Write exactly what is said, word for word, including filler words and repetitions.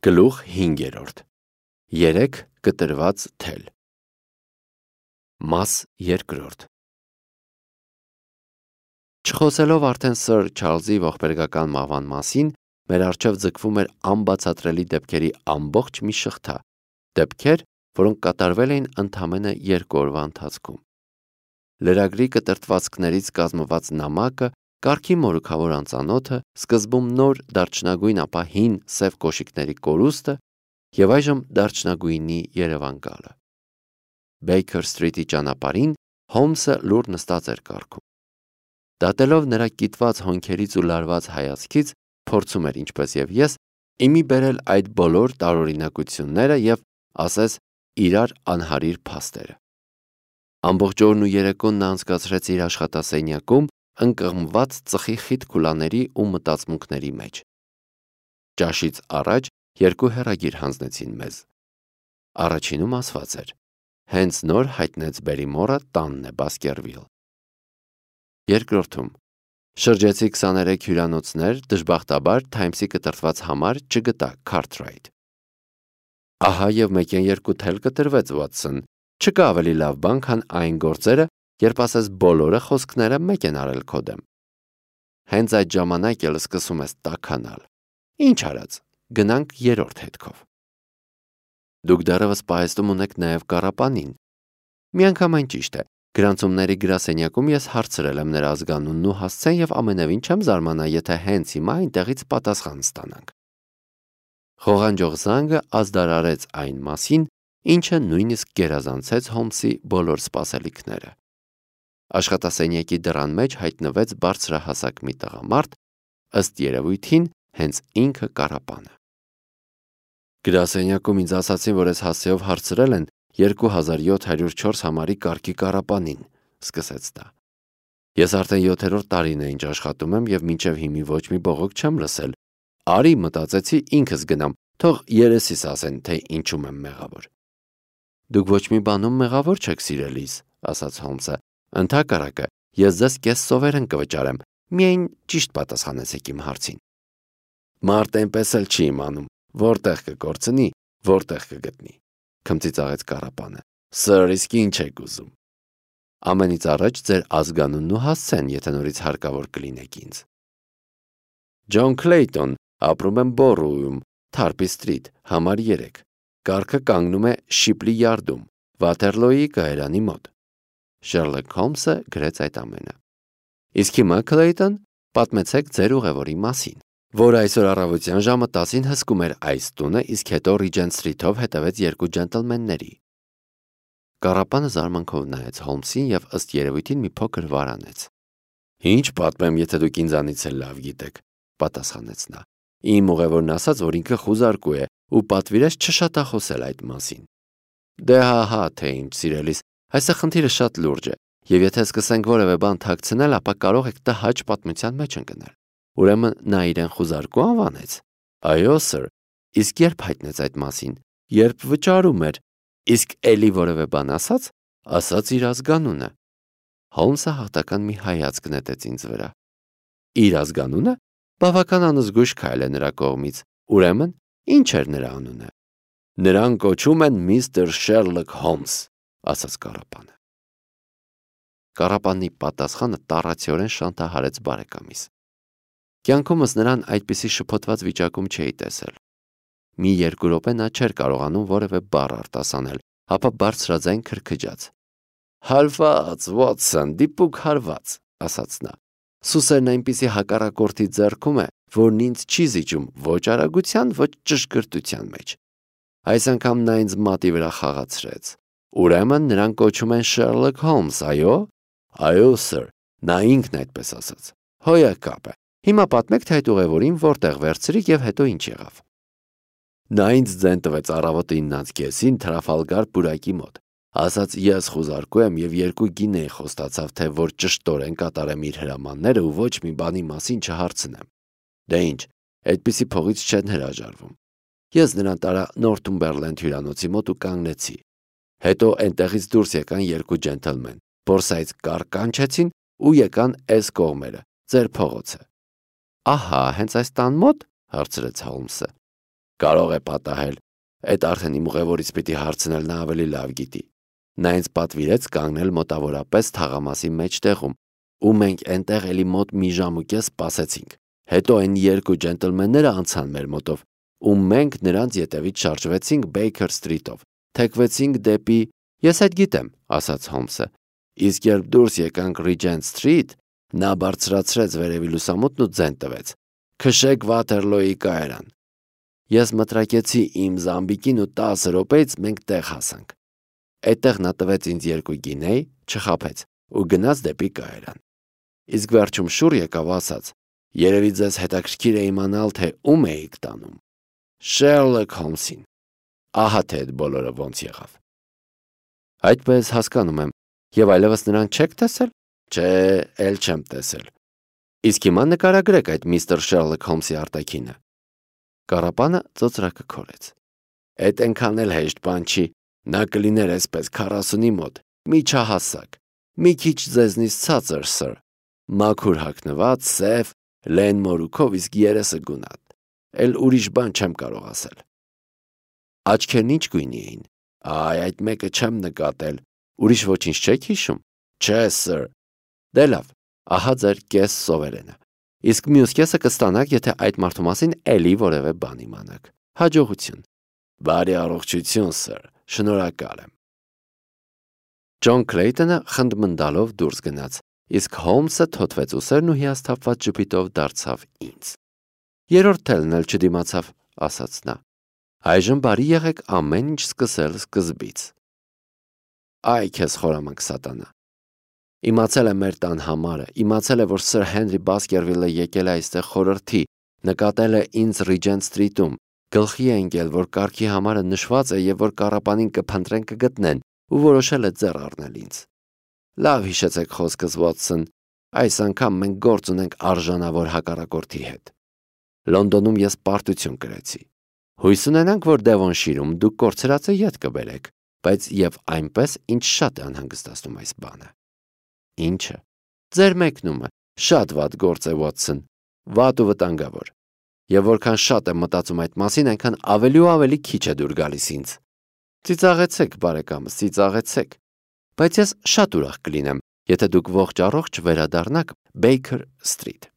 Գլուխ հինգերորդ. Երեք կտրված թել. Մաս երկրորդ. Չխոսելով արդեն սըր Չարլզի ողբերգական մահվան մասին, մեր առջև ձգվում էր անբացատրելի դեպքերի ամբողջ մի շղթա, դեպքեր, որոնք կատարվել էին ընդամենը երկու օրվա ընթացքում։ Լրագրի կտրտվածքներից կազմված նամակը, կարգի մորուքավոր անծանոթը, սկզբում նոր դարչնագույն ապա հին սև կոշիկների կորուստը և այժմ դարչնագույնի Երևան գալը։ Բեյքեր Սթրիթի ճանապարհին Հոլմսը լուռ նստած էր կառքում։ Դատելով նրա կիտված հոնքերից ու լարված հայացքից, փորձում էր, ինչպես և ես, իմի բերել այդ բոլոր տարօրինակությունները և, ասես, իրար անհարիր փաստերը։ Ամբողջ օրն ու երեկոն նա անցկացրեց իր աշխատասենյակում, ընկղմված ծխի խիտ քուլաների ու մտածմունքների մեջ։ Ճաշից առաջ երկու հեռագիր հանձնեցին մեզ։ Առաջինում ասված էր. հենց նոր հայտնեց Բերիմորը տանն է Բասկերվիլ։ Երկրորդում. շրջեցի քսաներեք հյուրանոցներ, դժբախտաբար Թայմսի կտրտված համար չգտա Քարթրայթ։ Ահա և մեկ են երկու թել կտրվեց, Վաթսոն, չկա ավելի լավ բան, քան այն գործերը, երբ ասես բոլորը խոսքները մեկ են արել քո դեմ։ Հենց այդ ժամանակ էլ սկսում ես տաքանալ։ Ինչ արած, գնանք երրորդ հետքով։ Դուք դեռևս պահեստում ունեք նաև Կարապանին։ Միանգամայն ճիշտ է, գրանցումների գրասենյակում ես հարցրել եմ նրա ազգանունն ու հասցեն և ամենևին չեմ զարմանա, եթե հենց հիմա այնտեղից պատասխան ստանանք։ Խողանջող զանգը ազդարարեց այն մասին, ինչը նույնիսկ գերազանցեց Հոլմսի բոլոր սպասելիքները։ Աշխատասենյակի դռան մեջ հայտնվեց բարձրահասակ մի տղամարդ, ըստ երևույթին հենց ինքը Կարապանը։ Գրասենյակում ինձ ասացին, որ ես հասցեով հարցրել են երկու հազար յոթ հարյուր չորս համարի կարգի Կարապանին, սկսեց նա։ Ես արդեն յոթերորդ տարին է ինչ աշխատում եմ և մինչև հիմի ոչ մի բողոք չեմ լսել։ Արի, մտածեցի, ինքս գնամ, թող երեսիս ասեն, թե ինչում եմ մեղավոր։ Դուք ոչ մի բանում մեղավոր չեք, սիրելիս, ասաց Հոլմսը։ Ընդհակառակը, ես ձեզ կես սովերեն կվճարեմ, միայն ճիշտ պատասխանեցեք իմ հարցին։ Մարդ այնպես էլ չի իմանում, որտեղ կկորցնի, որտեղ կգտնի, քմծիծաղեց Կարապանը։ Սըր, իսկ ինչ եք ուզում։ Ամենից առաջ ձեր ազգանունն ու հասցեն, եթե նորից հարկավոր կլինեք ինձ։ Ջոն Քլեյտոն, ապրում եմ Բորուում, Թարպի Սթրիթ, համար երեք։ Կառքը կանգնում է Շիպլի Յարդում, Վաթերլոյի կայարանի մոտ։ Շերլոք Հոլմսը գրեց այդ ամենը։ Իսկ հիմա, Քլեյտոն, պատմեցեք ձեր ուղևորի մասին, որ այսօր առավոտյան ժամը տասին հսկում էր այս տունը, իսկ հետո Ռիջենտ Սթրիթով հետևեց երկու ջենտլմենների։ Կարապանը զարմանքով նայեց Հոլմսին և ըստ երևույթին մի փոքր վարանեց։ Ինչ պատմեմ, եթե դուք ինձանից էլ լավ գիտեք, պատասխանեց նա։ Իմ ուղևորն ասաց, որ ինքը խուզարկու է ու պատվիրեց չշատախոսել այդ մասին։ Դե հա-հա, թե ինչ, սիրելիս, այստեղ խնդիրը շատ լուրջ է, և եթե սկսենք որևէ բան թաքցնել, ապա կարող եք տհաճ պատմության մեջ ընկնել։ Ուրեմն նա իրեն խուզարկու անվանեց։ Այո, սըր, իսկ երբ հայտնեց այդ մասին, երբ վճարում էր, իսկ էլի որևէ բան ասաց, ասաց իր ազգանունը։ Հոլմսը հաղթական մի հայացք նետեց ինձ վրա։ Իր ազգանունը բավական անզգույշ քայլ է նրա կողմից, ուրեմն ինչ էր նրա անունը։ Նրան կոչում են միստր Շերլոք Հոլմս, ասաց Կարապանը։ Կարապանի պատասխանը տառացիորեն շանթահարեց բարեկամիս։ Կյանքումս նրան այդպիսի շփոթված վիճակում չէի տեսել։ Մի երկու րոպե նա չէր կարողանում որևէ բառ արտասանել, ապա բարձրաձայն քրքջաց։ Հարված, Վոթսոն, դիպուկ հարված, ասաց նա։ Սուսերն այնպիսի հակառակորդի ձեռքում է, որն ինձ չի զիջում ոչ արագության, ոչ ճշգրտության մեջ։ Այս անգամ նա ինձ մատի վրա խաղացրեց։ Ուրեմն նրան կոչում են Շերլոք Հոլմս, այո։ Այո, սըր, նա ինքն այդպես ասաց։ Հոյակապ է։ Հիմա պատմեք, թե այդ ուղևորին որտեղ վերցրիք և հետո ինչ եղավ։ Նա ինձ ձեն տվեց առավոտը իննանց կեսին Թրաֆալգար պուրակի մոտ։ Ասաց ես խուզարկու եմ և երկու գինեի խոստացավ, թե որ ճշտորեն կատարեմ իր հրամանները ու ոչ մի բանի մասին չհարցնեմ։ Դե ինչ, այդպիսի փողից չեն հրաժարվում։ Ես նրան տարա Նորթումբերլենդ հյուրանոցի մոտ ու կանգնեցի։ Հետո այնտեղից դուրս եկան երկու ջենտլմեն, բորսայից կառք կանչեցին ու եկան էս կողմերը, ձեր փողոցը։ Ահա, հենց այս տան մոտ, հարցրեց Հոլմսը։ Կարող է պատահել։ Այդ արդեն իմ ուղևորից պիտի հարցնել, նա ավելի լավ գիտի։ Նա ինձ պատվիրեց կանգնել մոտավորապես թաղամասի մեջտեղում, ու մենք այնտեղ էլի մոտ մի ժամ ու կես սպասեցինք։ Հետո այն երկու ջենտլմենները անցան մեր մոտով, ու մենք նրանց ետևից շարժվեցինք Baker Street-ով, թեքվեցինք դեպի… Ես այդ գիտեմ, ասաց Հոլմսը։ Իսկ երբ դուրս եկանք Regent Street, նա բարձրացրեց վերևի լուսամուտն ու ձեն տվեց. «Քշեք Վաթերլոյի կայարան»։ Ես մտրակեցի իմ զամբիկին ու տասը րոպեից մենք տեղ հասանք։ Այդտեղ նա տվեց ինձ երկու գինեյ, չխաբեց ու գնաց դեպի կայարան։ Իսկ վերջում շուռ եկավ ասաց. «Երևի ձեզ հետաքրքիր է իմանալ, թե ում էիք տանում»։ Շերլոք Հոլմսին։ Ահա թե այդ բոլորը ոնց եղավ։ Այդպես հասկանում եմ, եւ այլևս նրան չեք տեսել։ Չէ, էլ չեմ տեսել։ Իսկ հիմա նկարագրեք այդ միստր Շերլոք Հոլմսի արտաքինը։ Կառապանը ծոծրակը քորեց։ Այդ այնքան էլ հեշտ բան չի, նա կլիներ այսպես քառասունի մոտ, միջահասակ, մի քիչ ձեզնից ցածր, սըր, մաքուր հագնված, սև, լեն մորուքով, իսկ երեսը գունատ, էլ ուրիշ բան չեմ կարող ասել։ Աչքերն ինչ գույնի էին։ Այ, այդ մեկը չեմ նկատել, ուրիշ ոչինչ չեք հիշում։ Չէ, սըր։ Դե լավ, ահա ձեր կես սովերենը։ Իսկ մյուս կեսը կստանաք, եթե այդ մարդու մասին էլի որևէ բան իմանաք։ Հաջողություն։ Բարի առողջություն, սըր, շնորհակալ եմ։ Ջոն Քլեյթոնը խնդմնդալով դուրս գնաց, իսկ Հոլմսը թոթվեց ուսերն ու հիասթափված ժպիտով դարձավ ինձ։ Երրորդ թելն էլ չդիմացավ, ասաց նա։ Այժմ բարի եղեք ամեն ինչ սկսել սկզբից։ Այ քեզ խորամանկ սատանա։ Իմացել է մեր տան համարը, իմացել է, որ սըր Հենրի Բասկերվիլը եկել է այստեղ խորհրդի, նկատել է ինձ Regent Street-ում, գլխի է ընկել, որ կարգի համարը նշված է եւ որ կառապանին կփնտրեն կգտնեն, ու որոշել է ձեռ առնել ինձ։ Լավ հիշեցեք խոսքս, Վոթսոն, այս անգամ մենք գործ ունենք արժանավոր հակառակորդի հետ։ Լոնդոնում ես պարտություն կրեցի։ Հույս ունենանք, որ Դևոնշիրում դուք կորցրածը ետ կբերեք, բայց եւ այնպես ինչ շատ է անհանգստացնում այս բանը։ Ինչը։ Ձեր մեկնումը շատ վատ գործ է, Վոթսոն, վատ ու վտանգավոր։ Եվ որքան շատ եմ մտածում այդ մասին, այնքան ավելի ու ավելի քիչ է դուր գալիս ինձ։ Ծիծաղեցեք, բարեկամս, ծիծաղեցեք։ Բայց ես շատ ուրախ կլինեմ, եթե դուք ողջ առողջ վերադառնաք Baker Street։